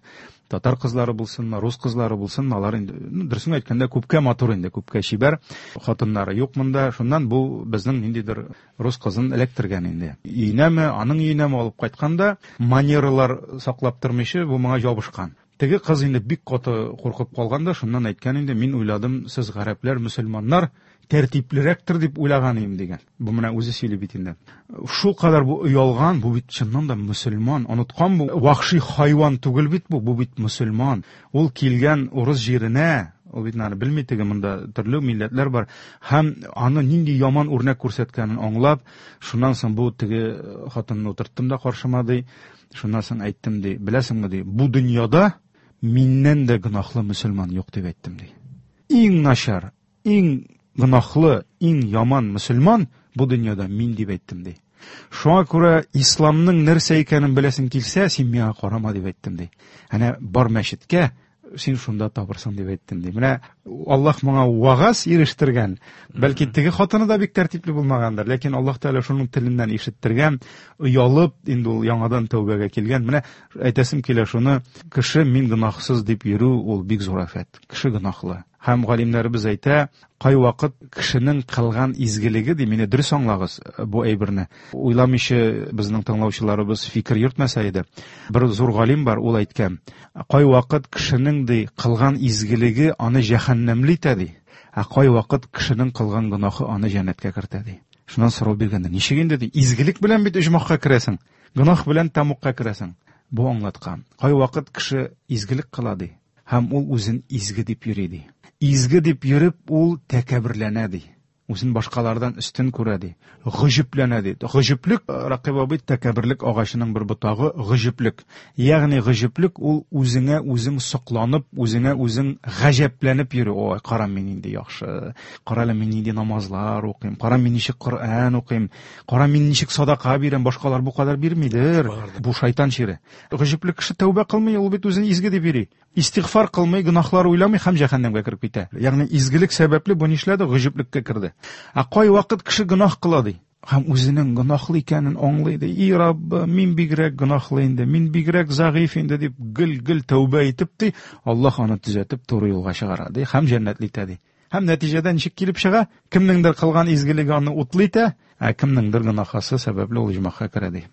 татар кызлары булсынмы, рус кызлары булсынмы, алар инде, дөресен әйткәндә, күпкә матур инде, күпкә чибәр. Хатыннары юк монда. Шуннан бу безнең ниндидер рус кызын эләктергән инде. Өенәме, аның өенәме алып кайтканда, манералар саклап тормыйча, бу моңа ябышкан. Теге кыз инде бик каты куркып калган да, шуннан әйткән инде, мин уйладым, сез гарәпләр, мөселманнар тәртиплерәктер дип уйлаган идем дигән. Бу менә үзе сөйли бит инде. Шул кадәр бу оялган, бу бит чыннан да мөселман, оныткан бу вахши хайван түгел бит бу, бу бит мөселман. Ул килгән урыс җиренә, ул бит аны белми, теге монда төрле милләтләр бар, һәм аны нинди яман үрнәк күрсәткәнен аңлап, шуннан соң бу теге хатынны утырттым да каршыма ди, шуннан соң әйттем ди, беләсеңме ди, бу дөньяда миннән дә гөнаһлы мөселман юк дип әйттем ди. Иң начар, иң гөнаһлы, иң яман мөселман бу дөньяда мин дип әйттем ди. Шуңа күрә исламның нәрсә икәнен беләсең килсә, син миңа карама дип әйттем ди. Әнә бар мәчеткә, син шунда табырсың дип әйттем ди. Менә Аллаһ моңа вагаз ирештергән. Бәлки теге хатыны да бик тәртипле булмагандыр, ләкин Аллаһ Тәгалә шуның теленнән ишеттергән, оялып инде ул яңадан тәүбәгә килгән. Менә әйтәсем килә шуны, кеше мин гөнаһсыз дип йөрү ул бик зур афәт. Кеше гөнаһлы. Һәм галимнәребез әйтә, кайвакыт кешенең кылган изгелеге ди, мине дөрес аңлагыз бу әйберне. Уйламыйча безнең тыңлаучыларыбыз фикер йөртмәсә иде. Бер зур галим бар, ул әйткән, кайвакыт кешенең ди кылган изгелеге аны җәһәннәмле итә ди, ә кайвакыт кешенең кылган гөнаһы аны җәннәткә кертә ди. Шуннан сорау биргәндә, ничек инде ди, изгелек белән бит оҗмахка керәсең, гөнаһ белән тәмугка керәсең. Бу аңлаткан. Кайвакыт кеше изгелек кыла ди, һәм ул үзен изге дип йөри ди. Изге дип йөреп, ул тәкәбберләнә ди. Үзен башкалардан өстен күрә ди. Гаҗәпләнә ди. Гаҗәплек, Ракыйп абый, тәкәбберлек агачының бер ботагы гаҗәплек. Ягъни гаҗәплек ул үзеңә үзең сокланып, үзеңә үзең гаҗәпләнеп йөрү. Ой, кара мин нинди яхшы. Кара әле мин нинди намазлар укыйм. Кара мин ничек Коръән укыйм. Кара мин ничек садака бирәм. Башкалар бу кадәр бирмидер. Бу шайтан чире. Гаҗәплек кеше тәүбә кылмый, ул бит үзен изге дип йөри. Истигъфар кылмый, гөнаһлар уйламый һәм җәһәннәмгә кереп китә. Ягъни изгелек сәбәпле бу нишләде? Гаҗәплеккә керде. Ә кайвакыт кеше гөнаһ кыла ди. Һәм үзенең гөнаһлы икәнен аңлый ди. И Раббы, мин бигрәк гөнаһлы инде, мин бигрәк зәгыйфь инде дип гел-гел тәүбә итеп ди, Аллаһ аны төзәтеп туры юлга чыгара ди һәм җәннәтле итә ди. Һәм нәтиҗәдә ничек килеп чыга? Кемнеңдер кылган изгелеге аны утлы итә, ә кемнеңдер гөнаһасы сәбәпле ул оҗмахка керә ди.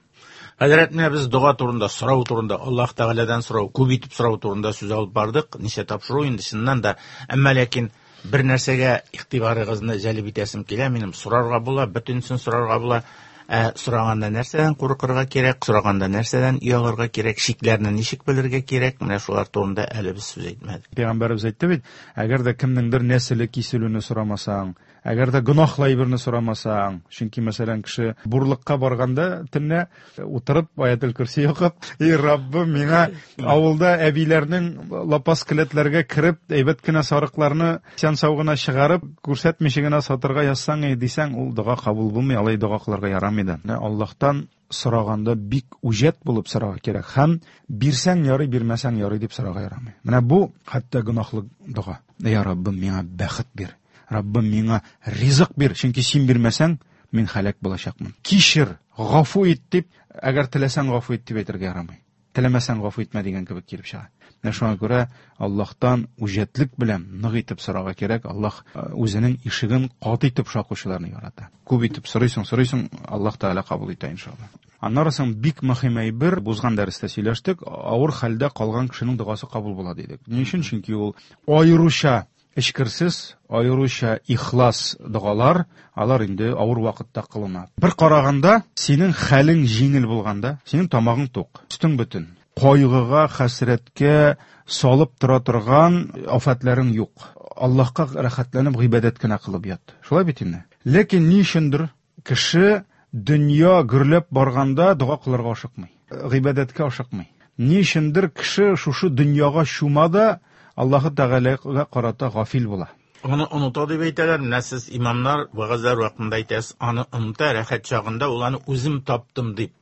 Хәзрәт, менә без дога турында, сорау турында, Аллаһ Тәгаләдән сорау, күп итеп сорау турында сүз алып бардык. Ничә тапшыру инде чыннан да. Әмма ләкин бер нәрсәгә игътибарыгызны җәлеп итәсем килә минем. Сорарга була, бөтенесен сорарга була. Ә сораганда нәрсәдән куркырга кирәк, сораганда нәрсәдән оялырга кирәк, чикләрне ничек белергә кирәк, менә шулар турында әле без сүз әйтмәдек. Пәйгамбәребез әйтте бит, әгәр дә кемнеңдер нәселе киселүне сорамасаң, әгәр дә гөнаһлы әйберне сорамасаң, чөнки, мәсәлән, кеше бурлыкка барганда төнлә утырып аятел көрси укып, "И Раббым, миңа авылда әбиләрнең лапас келәтләргә кереп, әйбәт кенә сарыкларны исән-сау гына чыгарып, күрсәтмичә генә сатырга язсаң и" дисәң, ул дога кабул булмый, алай дога кылырга ярамый да. Менә Аллаһтан сораганда бик үҗәт булып сорарга кирәк һәм бирсәң ярый, бирмәсәң ярый дип сорарга ярамый. Менә бу хәтта гөнаһлы дога. Я Раббым, миңа бәхет бир. Раббым, миңа ризык бир, чөнки син бирмәсәң, мин һәлак булачакмын. Кичер, гафу ит дип, әгәр теләсәң гафу ит дип әйтергә ярамый. Теләмәсәң гафу итмә дигән кебек килеп чыга. Менә шуңа күрә Аллаһтан үҗәтлек белән нык итеп сорарга кирәк. Аллаһ үзенең ишеген каты итеп шакучыларны ярата. Күп итеп сорыйсың, сорыйсың, Аллаһ Тәгалә кабул итә иншалла. Аннары соң бик мөһим әйбер, узган дәрестә сөйләштек, авыр хәлдә калган кешенең догасы кабул була дидек. Ни өчен? Чөнки ул аеруча эчкерсез, аеруча ихлас догалар, алар инде авыр вакытта кылына. Бер караганда, синең хәлең җиңел булганда, синең тамагың тук, өстең бөтен, кайгыга, хәсрәткә салып тора торган афәтләрең юк. Аллаһка рәхәтләнеп гыйбадәт кенә кылып ят. Шулай бит инде. Ләкин ни өчендер кеше дөнья гөрләп барганда дога кылырга ашыкмый, гыйбадәткә ашыкмый. Ни өчендер кеше шушы дөньяга чума да Аллаһы Тәгаләгә карата гафил була. Аны оныта дип әйтәләр. Менә сез имамнар вәгазьләр вакытында әйтәсез, аны оныта, рәхәт чагында ул аны үзем таптым дип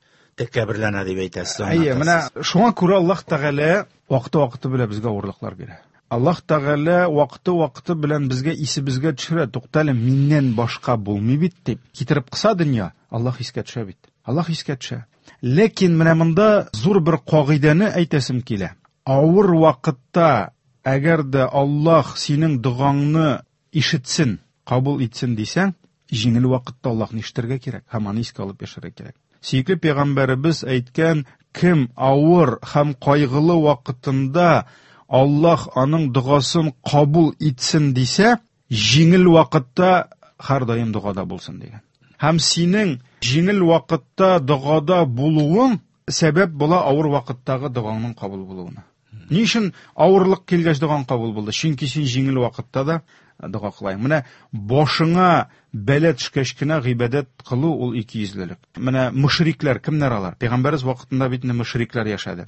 тәкәбберләнә дип әйтәсез. Әйе, менә шуңа күрә Аллаһ Тәгалә вакыты-вакыты белән безгә авырлыклар бирә. Аллаһ Тәгалә вакыты-вакыты белән безгә исебезгә төшерә, туктале, миннән башка булмый бит дип. Китереп кыса дөнья, Аллаһ искә төшә бит. Аллаһ искә төшә. Ләкин менә монда зур бер кагыйдәне әйтәсем килә. Авыр вакытта, әгәр дә Аллаһ синең догаңны ишетсен, кабул итсен дисәң, җиңел вакытта Аллаһны ишетергә кирәк һәм аны искә алып яшәргә кирәк. Сөекле пәйгамбәребез әйткән, кем авыр һәм кайгылы вакытында Аллаһ аның догасын кабул итсен дисә, җиңел вакытта һәрдаим догада булсын дигән. Һәм синең җиңел вакытта догада булуың сәбәп була авыр вакыттагы догаңның кабул булуына. Ни өчен авырлык килгәч догаң кабул булды? Чөнки син җиңел вакытта да дога кылайың. Менә башыңа бәла төшкәч кенә гыйбадәт кылу ул икейөзлелек. Менә мөшрикләр кемнәр алар? Пәйгамбәребез вакытында бит инде мөшрикләр яшәде.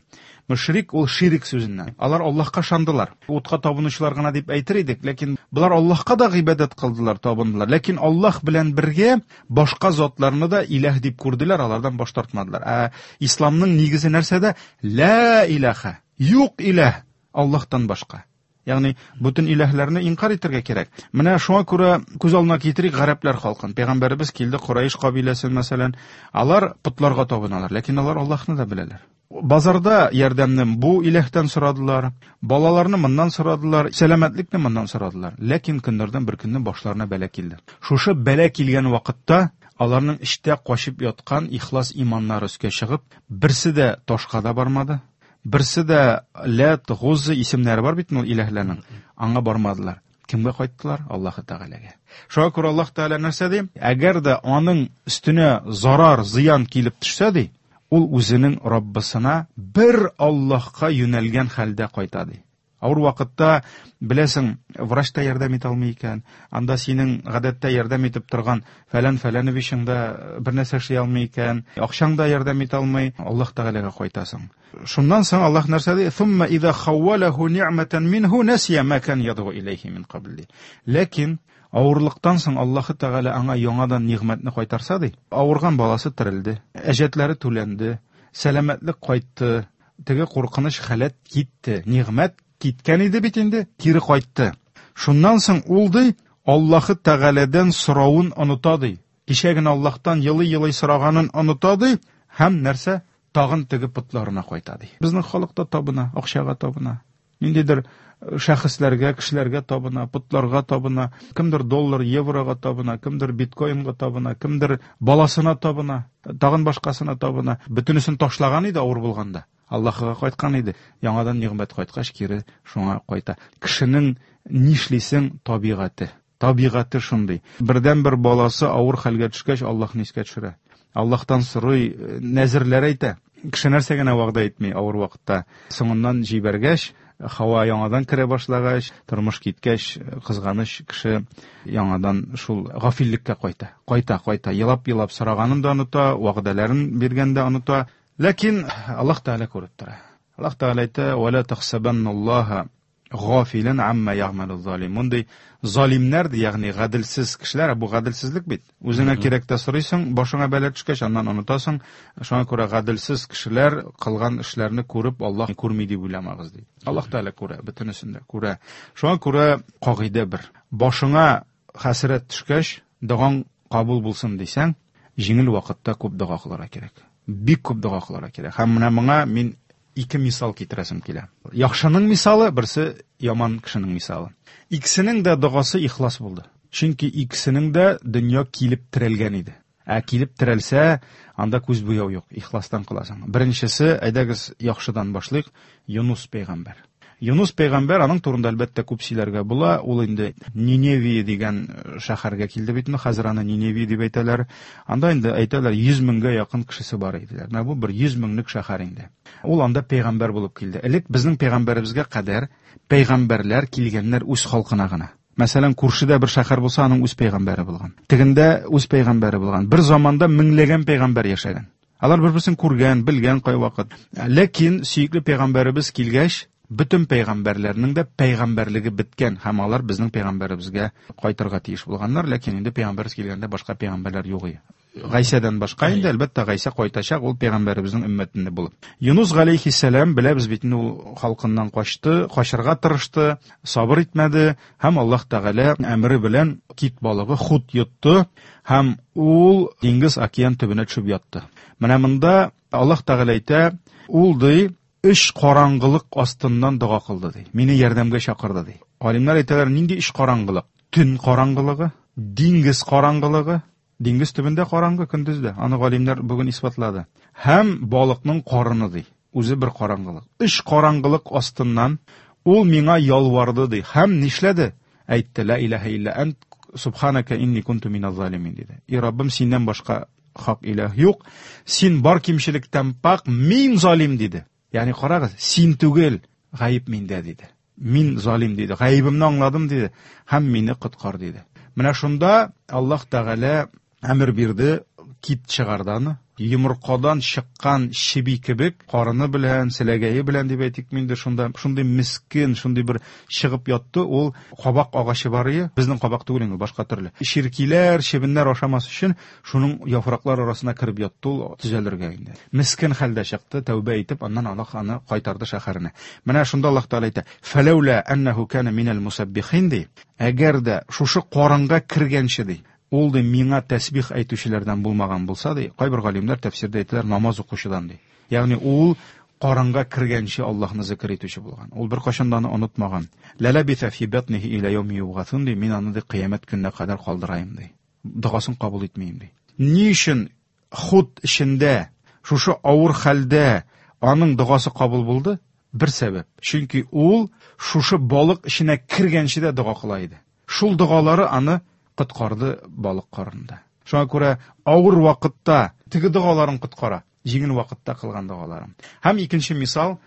Мөшрик ул ширик сүзеннән. Алар Аллаһка ышандылар. Утка табынучылар гына дип әйтер идек, ләкин болар Аллаһка да гыйбадәт кылдылар, табындылар. Ләкин Аллаһ белән бергә башка затларны да иләһ дип күрделәр, алардан баш тартмадылар. Ә исламның нигезе нәрсәдә? Ла илаһа, юк иләһ Аллаһтан башка. Ягъни бөтен иләһләрне инкар итәргә кирәк. Менә шуңа күрә күз алдына китерик гарәпләр халкын. Пәйгамбәребез килде Курайш кабиләсен, мәсәлән, алар потларга табыналар, ләкин алар Аллаһны да беләләр. Базарда ярдәмне бу иләһтән сорадылар, балаларны моннан сорадылар, сәламәтлекне моннан сорадылар. Ләкин көннәрдән бер көнне башларына бәла килде. Шушы бәла килгән вакытта аларның эчтә качып яткан ихлас иманнары өскә чыгып, берсе дә ташка да бармады, берсе дә Ләт, Гузза исемнәре бар бит ул иләһләрнең, аңа бармадылар. Кемгә кайттылар? Аллаһы Тәгаләгә. Шуңа күрә Аллаһ Тәгалә нәрсә ди? Әгәр дә аның өстенә зарар, зыян килеп төшсә ди, ул үзенең Раббысына бер Аллаһка юнәлгән хәлдә кайта ди. Авыр вакытта, беләсең, врач та ярдәм итә алмый икән. Анда синең гадәттә ярдәм итеп торган фәлән фәләновичың да бер нәрсә эшли алмый икән. Акчаң да ярдәм итә алмый. Аллаһ Тәгаләгә кайтасың. Шуннан соң Аллаһ нәрсә ди? Thumma idha khawwalahu ni'matan minhu nasiya ma kan yad'u ilayhi min qabl. Ләкин авырлыктан соң Аллаһ Тәгалә аңа яңадан нигъмәтне кайтарса ди. Авырган баласы терелде, әҗәтләре түләнде, сәламәтлек кайтты, теге куркыныч халәт китте, нигъмәт киткән иде бит инде, кире кайтты. Шуннан соң ул ди, Аллаһы Тәгаләдән соравын оныта ди. Кичә генә Аллаһтан елый-елый сораганын оныта ди һәм нәрсә? Тагын теге потларына кайта ди. Безнең халык та табына, акчага табына. Ниндидер шәхесләргә, кешеләргә табына, потларга табына, кемдер доллар, еврога табына, кемдер биткоинга табына, кемдер баласына табына, тагын башкасына табына. Бөтенесен ташлаган иде авыр булганда. Аллаһыга кайткан иде. Яңадан нигъмәт кайткач, кире шуңа кайта. Кешенең нишлисең табигате. Табигате шундый. Бердән-бер баласы авыр хәлгә төшкәч, Аллаһны искә төшерә. Аллаһтан сорый, нәзерләр әйтә. Кеше нәрсә генә вәгъдә итми авыр вакытта. Соңыннан җибәргәч, һава яңадан керә башлагач, тормыш киткәч, кызганыч кеше яңадан шул гафиллеккә кайта. Кайта, кайта. Елап-елап сораганын да оныта, вәгъдәләрен биргән дә оныта. Ләкин Аллаһ Тәгалә күреп тора. Аллаһ Тәгалә әйтә: "Ва ла тахсабанналлаһа гафилан амма ягъмалу залимун" ди. Залимнәр ди, ягъни гаделсез кешеләр, бу гаделсезлек бит. Үзеңә кирәк тә сорыйсың, башыңа бәла төшкәч, аннан онытасың. Шуңа күрә гаделсез кешеләр кылган эшләрне күреп, Аллаһ күрми дип уйламагыз ди. Аллаһ Тәгалә күрә, бөтенесен дә күрә. Шуңа күрә кагыйдә бер. Башыңа хәсрәт төшкәч, догаң кабул булсын дисәң, җиңел вакытта күп дога кылырга кирәк. Бик күп дога кылырга кирәк. Һәм менә моңа мин ике мисал китерәсем килә. Яхшының мисалы, берсе яман кешенең мисалы. Икесенең дә догасы ихлас булды. Чөнки икесенең дә дөнья килеп терәлгән иде. Ә килеп терәлсә, анда күз буяу юк, ихластан кыласың. Беренчесе, әйдәгез, яхшыдан башлыйк, Юнус пәйгамбәр. Юнус пәйгамбәр, аның турында әлбәттә күп сөйләргә була. Ул инде Ниневия дигән шәһәргә килде бит инде, хәзер аны Ниневия дип әйтәләр. Анда инде әйтәләр 100 меңгә якын кешесе бар иделәр. Менә бу бер 100 меңлек шәһәр инде. Ул анда пәйгамбәр булып килде. Элек безнең пәйгамбәребезгә кадәр пәйгамбәрләр килгәннәр үз халкына гына. Мәсәлән, күршедә бер шәһәр булса, аның үз пәйгамбәре булган. Тегендә үз пәйгамбәре булган. Бер заманда меңләгән пәйгамбәр яшәгән. Алар бер-берсен күргән, белгән кайвакыт. Ләкин сөекле пәйгамбәребез килгәч, бөтен пәйгамбәрләрнең дә пәйгамбәрлеге беткән һәм алар безнең пәйгамбәребезгә кайтырга тиеш булганнар, ләкин инде пәйгамбәребез килгәндә башка пәйгамбәрләр юк иде. Гайсәдән башка инде, әлбәттә, Гайсә кайтачак, ул пәйгамбәребезнең өммәтендә булып. Юнус галәйһиссәлам, беләбез бит инде, ул халкыннан качты, качырга тырышты, сабыр итмәде һәм Аллаһ Тәгалә әмере белән кит балыгы хут йотты һәм ул диңгез океан төбенә төшеп ятты. Менә монда Аллаһ Тәгалә әйтә, ул ди, өч караңгылык астыннан дога кылды ди. Мине ярдәмгә чакырды ди. Галимнәр әйтәләр, нинди өч караңгылык? Төн караңгылыгы, диңгез караңгылыгы, диңгез төбендә караңгы көндез дә, аны галимнәр бүген исбатлады. Һәм балыкның карыны ди. Үзе бер караңгылык. Өч караңгылык астыннан ул миңа ялварды ди. Һәм нишләде? Әйтте, ла илаһа илля ант, субханака инни кунту миназ залимин диде. И Раббым, синнән башка хак илаһ юк. Син бар кимчелектән пак, мин залим диде. Ягъни карагыз, син түгел, гаеп миндә диде. Мин залим диде. Гаебемне аңладым диде һәм мине коткар диде. Менә шунда Аллаһ Тәгалә әмер бирде, кит чыгарды аны. Йомыркадан чыккан чеби кебек, карыны белән, селәгәе белән дип әйтик инде, шунда шундый мискен, шундый бер чыгып ятты. Ул кабак агачы бар ие, безнең кабак түгел инде, башка төрле. Чиркиләр, чебеннәр ашамас өчен шуның яфраклар арасына кереп ятты ул, төзәлергә инде. Мискен хәлдә чыкты, тәүбә итеп, аннан Аллаһ аны кайтарды шәһәренә. Менә шунда Аллаһ Тәгалә әйтә: "Фәләүлә әннәһу кана минәл мусаббихин" ди. Әгәр дә шушы карынга кергәнче ди, ул ди миңа тәсбих әйтүчеләрдән булмаган булса ди, кайбер галимнәр тәфсирдә әйтәләр, намаз укучыдан ди. Ягъни ул карынга кергәнче Аллаһны зикр итүче булган. Ул беркайчан да аны онытмаган. Ләләбиҫә фи батнихи иля яуми юбгасун ди, мин аны ди кыямәт көненә кадәр калдыраем ди. Догасын кабул итмим ди. Ни өчен худ эчендә, шушы авыр хәлдә аның догасы кабул булды? Бер сәбәп. Чөнки ул шушы балык эченә кергәнче дә дога кыла иде. Шул догалары аны коткарды балык карынында. Шуңа күрә авыр вакытта теге догаларын коткара, җиңел вакытта кылган догаларын. Һәм икенче мисал,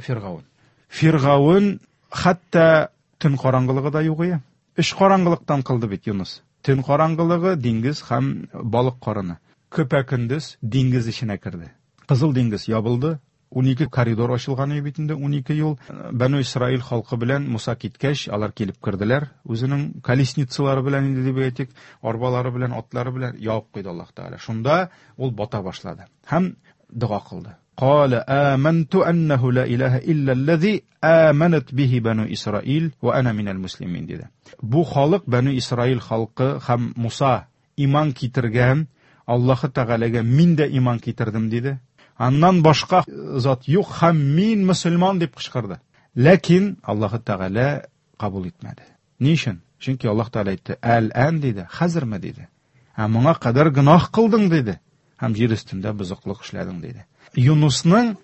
Фиргаун. Фиргаун Хәтта төн караңгылыгы да юк ие. Өч караңгылыктан кылды бит Юныс. Төн караңгылыгы, диңгез һәм балык карыны. Көпә-көндез диңгез эченә керде. Кызыл диңгез ябылды, 12 коридор ачылган иде бит инде, 12 юл. Бәну Исраил халкы белән Муса киткәч, алар килеп керделәр. Үзенең колесницалары белән инде дип әйтик, арбалары белән, атлары белән ябып куйды Аллаһ Тәгалә. Шунда ул бата башлады һәм дога кылды. Кала аманту аннаху ла илаһа илля аллази аманат бихи бану Исраил ва ана минал муслимин диде. Бу халык Бәну Исраил халкы һәм Муса иман китергән Аллаһы Тәгаләгә мин дә иман китердем диде. Аннан башка зат юк һәм мин мөселман дип кычкырды. Ләкин Аллаһы Тәгалә кабул итмәде. Ни өчен? Чөнки Аллаһ Тәгалә әйтте: "Әл-ән" диде, хәзерме диде. Ә моңа кадәр гөнаһ кылдың диде. Һәм җир өстендә бозыклык эшләдең диде. Юнусның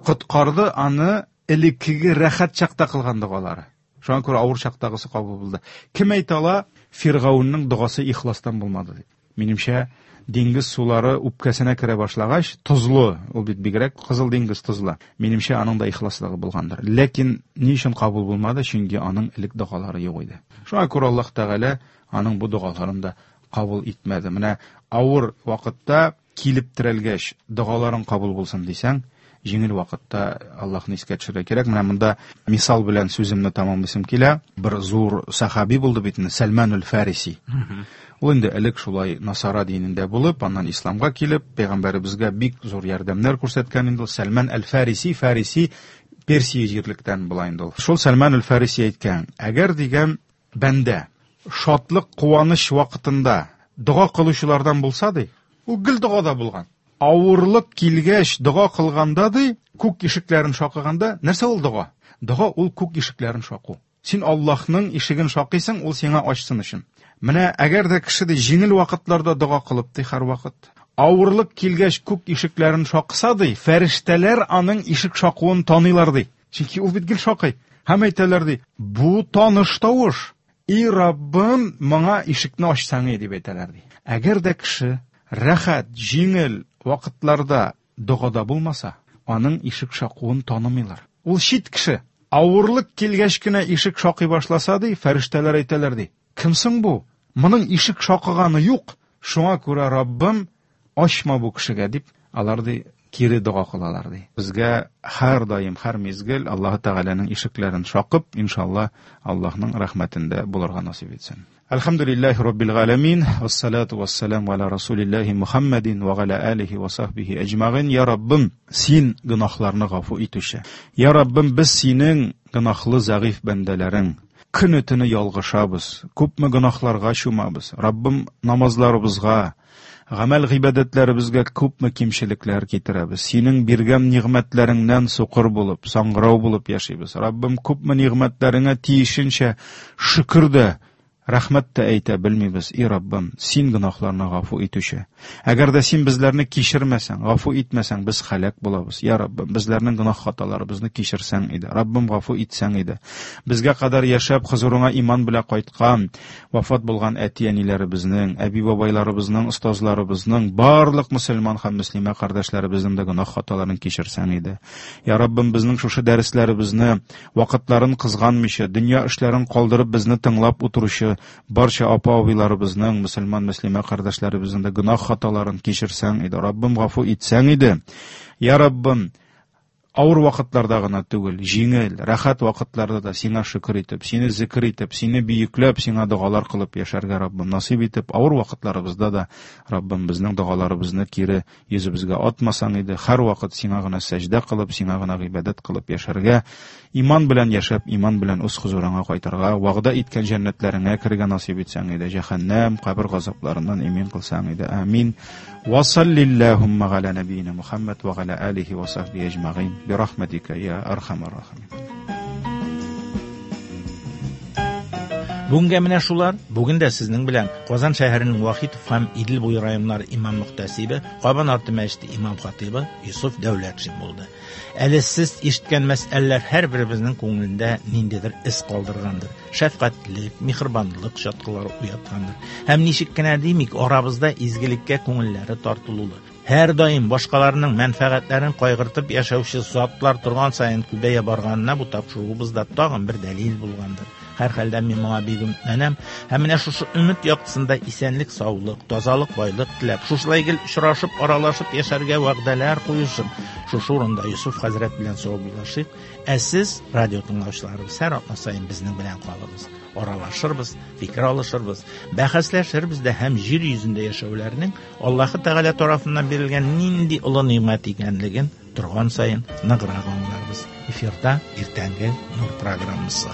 коткарды аны элеккеге рәхәт чакта кылган догалары. Шуңа күрә авыр чактагысы кабул булды. Кем әйтә ала, Фиргаунның догасы ихластан булмады дип. Минемчә, диңгез сулары үпкәсенә керә башлагач, тозлы, ул бит бигрәк Кызыл диңгез тозлы. Минемчә, аның да ихласлыгы булгандыр. Ләкин ни өчен кабул булмады? Чөнки аның элек догалары юк иде. Шуңа күрә Аллаһ Тәгалә аның бу догаларын да кабул итмәде. Менә авыр вакытта килеп терәлгәч, догаларың кабул булсын дисәң, җиңел вакытта Аллаһны искә төшерергә кирәк. Менә монда мисал белән сүземне тәмамлыйсым килә. Бер зур сахаби булды бит инде, Сәлман аль-Фариси. Ул инде элек шулай насара динендә булып, аннан исламга килеп, пәйгамбәребезгә бик зур ярдәмнәр күрсәткән инде ул. Сәлман аль-Фариси, Фариси Персия җирлектән була инде ул. Шул Сәлман аль-Фариси әйткән, әгәр дигән бәндә шатлык, куаныч вакытында дога кылучылардан булса ди, ул гел догада булган. Авырлык килгәч, дога кылганда ди, күк ишекләрен шакыганда, нәрсә ул дога? Дога ул күк ишекләрен шаку. Син Аллаһның ишеген шакыйсың, ул сиңа ачсын өчен. Менә әгәр дә кеше ди җиңел вакытларда дога кылып ди һәрвакыт, авырлык килгәч күк ишекләрен шакыса ди, фәрештәләр аның ишек шакуын таныйлар ди. Чөнки ул бит гел шакый. Һәм әйтәләр ди, бу таныш тавыш. И Раббым, моңа ишекне ачсаң и дип әйтәләр ди. Әгәр дә кеше рәхәт, җиңел вакытларда догада булмаса, аның ишек шакуын танымыйлар. Ул чит кеше. Авырлык килгәч кенә ишек шакый башласа ди, фәрештәләр әйтәләр ди, кем соң бу? Моның ишек шакыганы юк. Шуңа күрә Раббым, ачма бу кешегә дип, алар ди кире дога кылалар ди. Безгә һәр даим, һәр мизгел Аллаһы Тәгаләнең ишекләрен шакып, иншалла, Аллаһның рәхмәтендә булырга насыйп итсен. Әлхәмдүлилләһи раббил галәмин, вассалату вассаламу аля расулиллаһи Мухаммадин ва аля алихи ва сахбихи әҗмәгыйн. Я Раббым, син гөнаһларны гафу итүче. Я Раббым, без синең гөнаһлы зәгыйфь бәндәләрең. Көне-төне ялгышабыз, күпме гөнаһларга чумабыз. Раббым, намазларыбызга, гамәл гыйбадәтләребезгә күпме кимчелекләр китерәбез. Синең биргән нигъмәтләреңнән сукыр булып, саңгырау булып яшибез. Раббым, күпме нигъмәтләреңә тиешенчә шөкер дә, рәхмәт тә әйтә белмибез. И Раббым, син гөнаһларны гафу итүче. Әгәр дә син безләрне кичермәсәң, гафу итмәсәң, без һәлак булабыз. Я Раббым, безләрнең гөнаһ хаталарыбызны кичерсәң иде. Раббым, гафу итсәң иде. Безгә кадәр яшәп, хозурыңа иман белән кайткан, вафат булган әти-әниләребезнең, әби-бабайларыбызның, остазларыбызның, барлык мөселман һәм мөслимә кардәшләребезнең дә гөнаһ хаталарын кичерсәң иде. Я Раббым, безнең шушы дәресләребезне вакытларын кызганмыйча, дөнья эшләрен калдырып безне тыңлап утыручы барча апа-абыйларыбызның, мөселман мөслимә кардәшләребезнең дә гөнаһ хаталарын кичерсәң иде. Раббым, гафу итсәң иде. Я Раббым, авыр вакытларда гына түгел, җиңел, рәхәт вакытларда да сиңа шөкер итеп, сине зикр итеп, сине бөекләп, сиңа догалар кылып яшәргә Раббым насыйп итеп, авыр вакытларыбызда да Раббым безнең догаларыбызны кире йөзебезгә атмасаң иде, һәрвакыт сиңа гына сәҗдә кылып, сиңа гына гыйбадәт кылып яшәргә, иман белән яшәп, иман белән үз хозурыңа кайтырга, вәгъдә иткән җәннәтләреңә керергә насыйп итсәң иде, җәһәннәм, кабер газапларыннан имин кылсаң иде. Амин. Ва саллиллахумма галя набийна Мухаммад ва галя алихи ва сахбихи әҗмәгыйн. Би рахматика я архамар рахимин. Бүгенгә менә шулар. Бүген дә сезнең белән Казан шәһәренең Вахитов һәм Идел буе районнары имам мөхтәсибе, Кабан арты мәчете имам хатыйбы Юсуф Дәүләтшин булды. Әле сез ишеткән мәсьәләләр һәрберебезнең күңелендә ниндидер эз калдыргандыр. Шәфкатьлек, миһербанлык чаткылары уяткандыр. Һәм ничек кенә димик, арабызда изгелеккә күңелләре тартылулы. Һәрдаим башкаларның мәнфәгатьләрен кайгыртып яшәүче затлар торган саен күбәя барганына бу тапшыруыбыз да тагын бер дәлил булгандыр. Һәрхәлдә мин моңа бик өметләнәм. Һәм менә шушы өмет яктысында исәнлек, саулык, тазалык, байлык теләп, шушылай гел очрашып, аралашып яшәргә вәгъдәләр куешып, шушы урында Йосыф хәзрәт белән саубуллашыйк. Ә сез, радио тыңлаучыларыбыз, һәр атна саен безнең белән калыгыз. Аралашырбыз, фикер алышырбыз, бәхәсләшербез дә һәм җир йөзендә яшәүләрнең Аллаһы Тәгалә тарафыннан бирелгән нинди олы нимәт икәнлеген торган саен ныграк аңларбыз. Эфирда иртәнге Нур программасы.